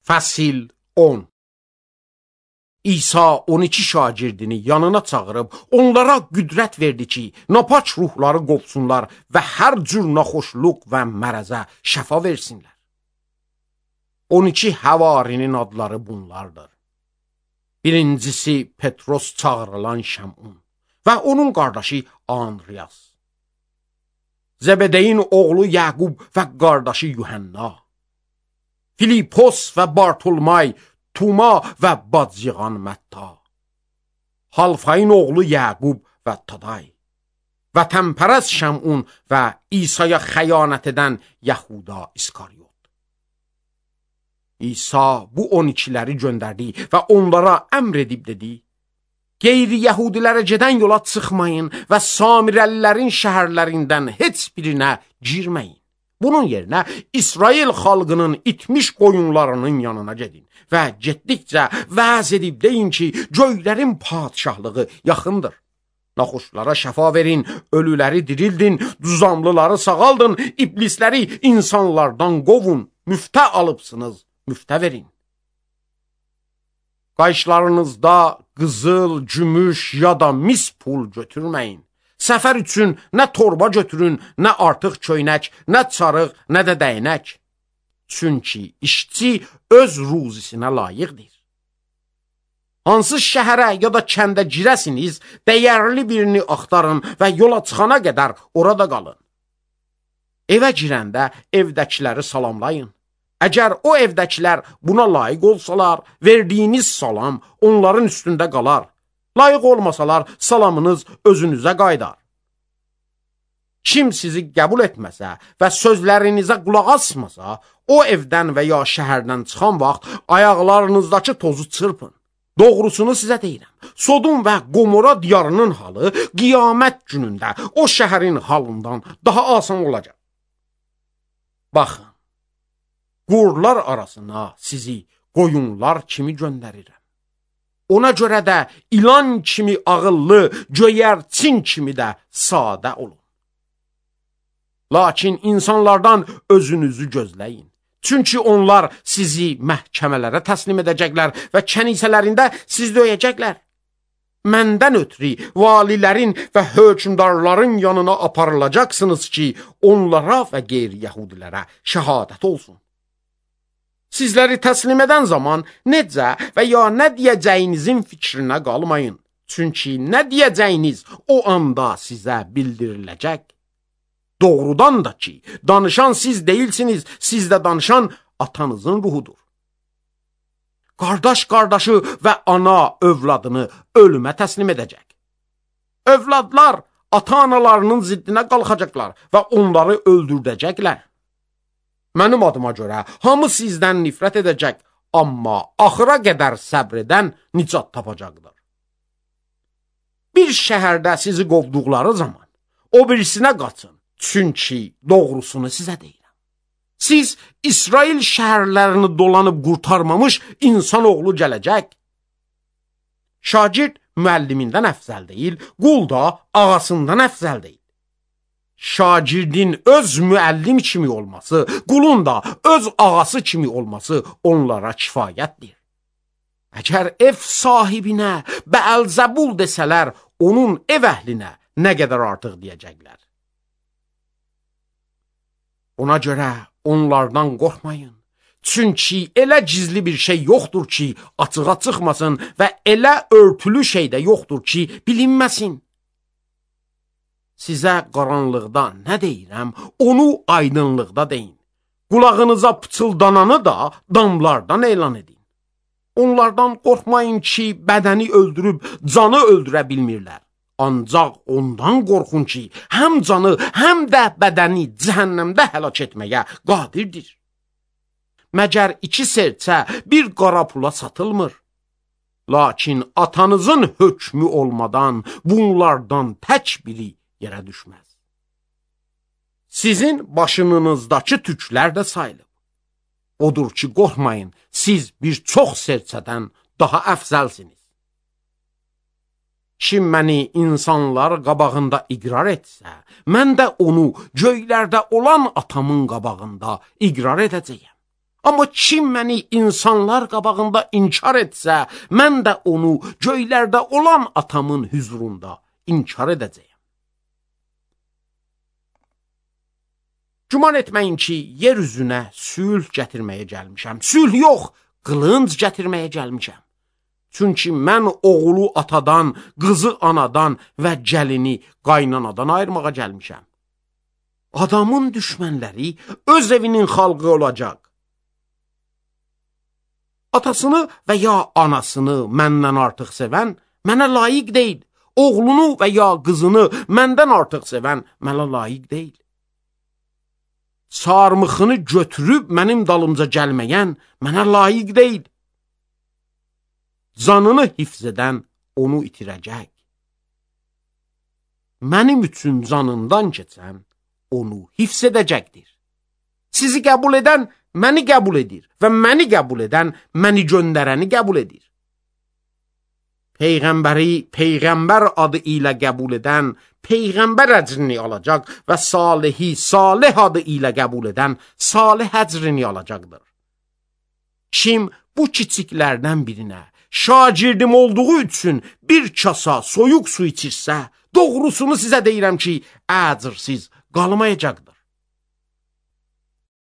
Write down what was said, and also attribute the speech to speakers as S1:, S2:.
S1: Fəsil 10. İsa 12 şagirdini yanına çağırıb, onlara qüdrət verdi ki, napaç ruhları qovsunlar və hər cür naxoşluq və mərəzə şəfa versinlər. 12 həvarinin adları bunlardır. Birincisi Petros çağırılan Şəmun və onun qardaşı Andreas. Zəbədeyin oğlu Yaqub və qardaşı Yuhanna. Filipos və Bartolmay, Tuma və bacıyğan Mətta. Halfayın oğlu Yaqub və Taday. Və təmpərəz Şəmun və İsa'ya xəyanət edən Yahuda İskaryot. İsa bu 12'ləri göndərdi və onlara əmr edib dedi: Qeyri-Yahudilərə gedən yola çıxmayın və Samirəlilərin şəhərlərindən heç birinə girməyin. Bunun yerinə İsrail xalqının itmiş qoyunlarının yanına gedin və getdikcə vəz edib deyin ki, göylərin padişahlığı yaxındır. Naxoşlara şəfa verin, ölüləri dirildin, düzamlıları sağaldın, iblisləri insanlardan qovun, müftə alıbsınız, müftə verin. Qayışlarınızda qızıl, gümüş ya da mis pul götürməyin. Səfər üçün nə torba götürün, nə artıq köynək, nə çarıq, nə də dəynək. Çünki işçi öz ruzisinə layiqdir. Hansı şəhərə ya da kəndə girəsiniz, dəyərli birini axtarın və yola çıxana qədər orada qalın. Evə girəndə evdəkiləri salamlayın. Əgər o evdəkilər buna layiq olsalar, verdiyiniz salam onların üstündə qalar. Layiq olmasalar, salamınız özünüzə qaydar. Kim sizi qəbul etməsə və sözlərinizə qulaq asmasa, o evdən və ya şəhərdən çıxan vaxt ayaqlarınızdakı tozu çırpın. Doğrusunu sizə deyirəm. Sodom və Gomora diyarının halı qiyamət günündə o şəhərin halından daha asan olacaq. Baxın, qurlar arasına sizi qoyunlar kimi göndərirəm. Ona görə də ilan kimi ağıllı, göyərçin kimi də sadə olun. Lakin insanlardan özünüzü gözləyin. Çünki onlar sizi məhkəmələrə təslim edəcəklər və kənisələrində sizi döyəcəklər. Məndən ötürü valilərin və hökümdarların yanına aparılacaqsınız ki, onlara və qeyri-Yahudilərə şəhadət olsun. Sizləri təslim edən zaman necə və ya nə deyəcəyinizin fikrinə qalmayın. Çünki nə deyəcəyiniz o anda sizə bildiriləcək. Doğrudan da ki, danışan siz deyilsiniz, sizdə danışan atanızın ruhudur. Qardaş qardaşı və ana övladını ölümə təslim edəcək. Övladlar ata-analarının ziddinə qalxacaqlar və onları öldürdəcəklər. Mənim adıma görə hamı sizdən nifrət edəcək, amma axıra qədər səbr edən nicat tapacaqdır. Bir şəhərdə sizi qovduqları zaman o birisinə qaçın, çünki doğrusunu sizə deyirəm. Siz İsrail şəhərlərini dolanıb qurtarmamış insanoğlu gələcək. Şagird müəllimindən əfzəl deyil, qul da ağasından əfzəl deyil. Şagirdin öz müəllim kimi olması, qulun da öz ağası kimi olması onlara kifayətdir. Əgər ev sahibinə Bəəlzəbul desələr, onun ev əhlinə nə qədər artıq deyəcəklər. Ona görə onlardan qorxmayın. Çünki elə gizli bir şey yoxdur ki, açığa çıxmasın və elə örtülü şey də yoxdur ki, bilinməsin. Sizə qaranlıqda nə deyirəm, onu aydınlıqda deyin. Qulağınıza pıçıldananı da damlardan elan edin. Onlardan qorxmayın ki, bədəni öldürüb canı öldürə bilmirlər. Ancaq ondan qorxun ki, həm canı, həm də bədəni cəhənnəmdə həlak etməyə qadirdir. Məgər 2 serçə bir qara pula satılmır. Lakin atanızın hökmü olmadan bunlardan tək biri yerə düşməz. Sizin başınızdakı tüklər də sayılıb. Odur ki, qorxmayın, siz bir çox serçədən daha əfzəlsiniz. Kim məni insanlar qabağında iqrar etsə, mən də onu göylərdə olan atamın qabağında iqrar edəcəyəm. Amma kim məni insanlar qabağında inkar etsə, mən də onu göylərdə olan atamın hüzurunda inkar edəcəyəm. Güman etməyin ki, yer üzünə sülh gətirməyə gəlmişəm. Sülh yox, qılınc gətirməyə gəlmişəm. Çünki mən oğlu atadan, qızı anadan və gəlini qaynanadan ayırmağa gəlmişəm. Adamın düşmənləri öz evinin xalqı olacaq. Atasını və ya anasını məndən artıq sevən mənə layiq deyil. Oğlunu və ya qızını məndən artıq sevən mənə layiq deyil. Sarmıxını götürüb mənim dalımca gəlməyən mənə layiq deyil. Canını hifz edən onu itirəcək. Mənim üçün canından keçən onu hifz edəcəkdir. Sizi qəbul edən məni qəbul edir və məni qəbul edən məni göndərəni qəbul edir. Peyğəmbəri Peyğəmbər adı ilə qəbul edən Peyğəmbər əcrini alacaq və Salihi Salih adı ilə qəbul edən Salih əcrini alacaqdır. Kim bu kiçiklərdən birinə şagirdim olduğu üçün bir kasa soyuq su içirsə, doğrusunu sizə deyirəm ki, əcrsiz qalmayacaqdır.